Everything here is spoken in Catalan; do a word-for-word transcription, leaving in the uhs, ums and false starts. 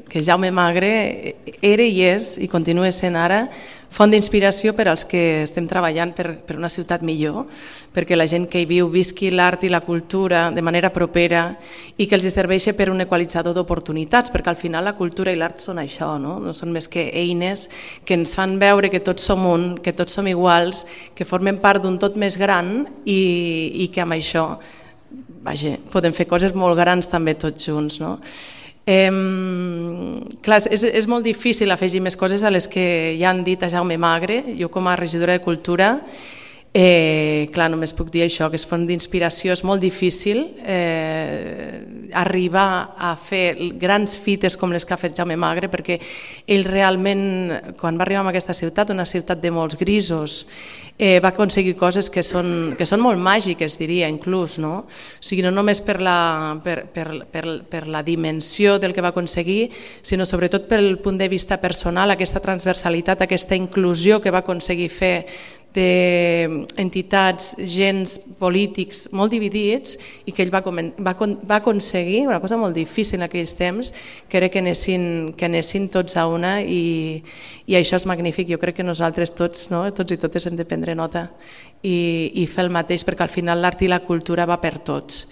que Jaume Magre era i és, i continua sent ara, font d'inspiració per als que estem treballant per, per una ciutat millor, perquè la gent que hi viu visqui l'art i la cultura de manera propera i que els serveixi per un equalitzador d'oportunitats, perquè al final la cultura i l'art són això, no? No són més que eines que ens fan veure que tots som un, que tots som iguals, que formem part d'un tot més gran i, i que amb això vaja, podem fer coses molt grans també tots junts, no? Eh, clar, és, és molt difícil afegir més coses a les que ja han dit a Jaume Magre. Jo com a regidora de Cultura, eh, clar, només puc dir això, que és font d'inspiració, és molt difícil eh, arribar a fer grans fites com les que ha fet Jaume Magre, perquè ell realment, quan va arribar a aquesta ciutat, una ciutat de molts grisos, Eh, va aconseguir coses que són, que són molt màgiques, diria, inclús, no? O sigui, no només per la, per, per, per, per la dimensió del que va aconseguir, sinó sobretot pel punt de vista personal, aquesta transversalitat, aquesta inclusió que va aconseguir fer d'entitats, gens polítics molt dividits i que ell va, va, va aconseguir una cosa molt difícil en aquells temps, que era que anessin, que anessin tots a una i, i això és magnífic. Jo crec que nosaltres tots, no? tots i totes hem de prendre nota i, i fer el mateix, perquè al final l'art i la cultura va per tots.